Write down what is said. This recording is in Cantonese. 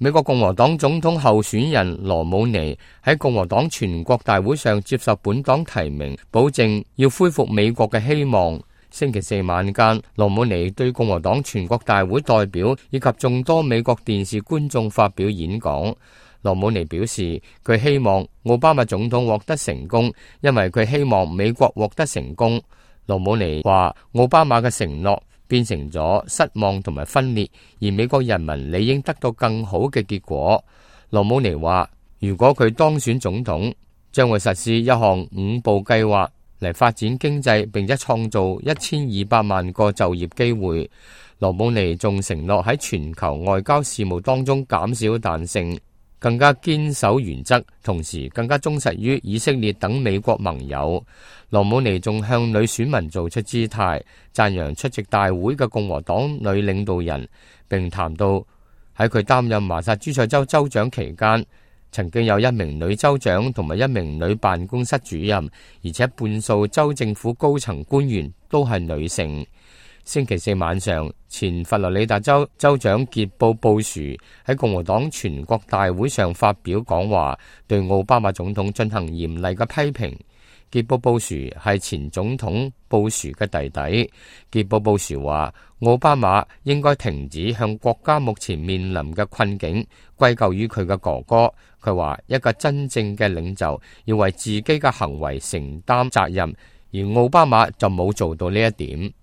美國共和黨總統候選人羅姆尼喺共和黨全國大會上接受本黨提名，保證要恢復美國嘅希望。星期四晚間，羅姆尼對共和黨全國大會代表以及眾多美國電視觀眾發表演講。羅姆尼表示，佢希望奧巴馬總統獲得成功，因為佢希望美國獲得成功。羅姆尼話，奧巴馬嘅承諾變成咗失望同埋分裂，而美國人民理應得到更好嘅結果。羅姆尼話，如果佢當選總統，將會實施一項5步計劃嚟發展經濟，並且創造1200萬個就業機會。羅姆尼仲承諾喺全球外交事務當中減少彈性，更加堅守原則，同時更加忠實於以色列等美國盟友。羅姆尼仲向女選民做出姿態，讚揚出席大會嘅共和黨女領導人，並談到喺佢擔任麻薩諸塞州州長期間，曾經有1名女州長同埋1名女辦公室主任，而且半數州政府高層官員都係女性。星期四晚上，前佛羅里達州州長傑布布殊喺共和黨全國大會上發表講話，對奧巴馬總統進行嚴厲嘅批評。傑布布殊係前總統布殊嘅弟弟。傑布布殊話，奧巴馬應該停止向國家目前面臨嘅困境歸咎於佢嘅哥哥。佢話，一個真正嘅領袖要為自己嘅行為承擔責任，而奧巴馬就冇做到呢一點。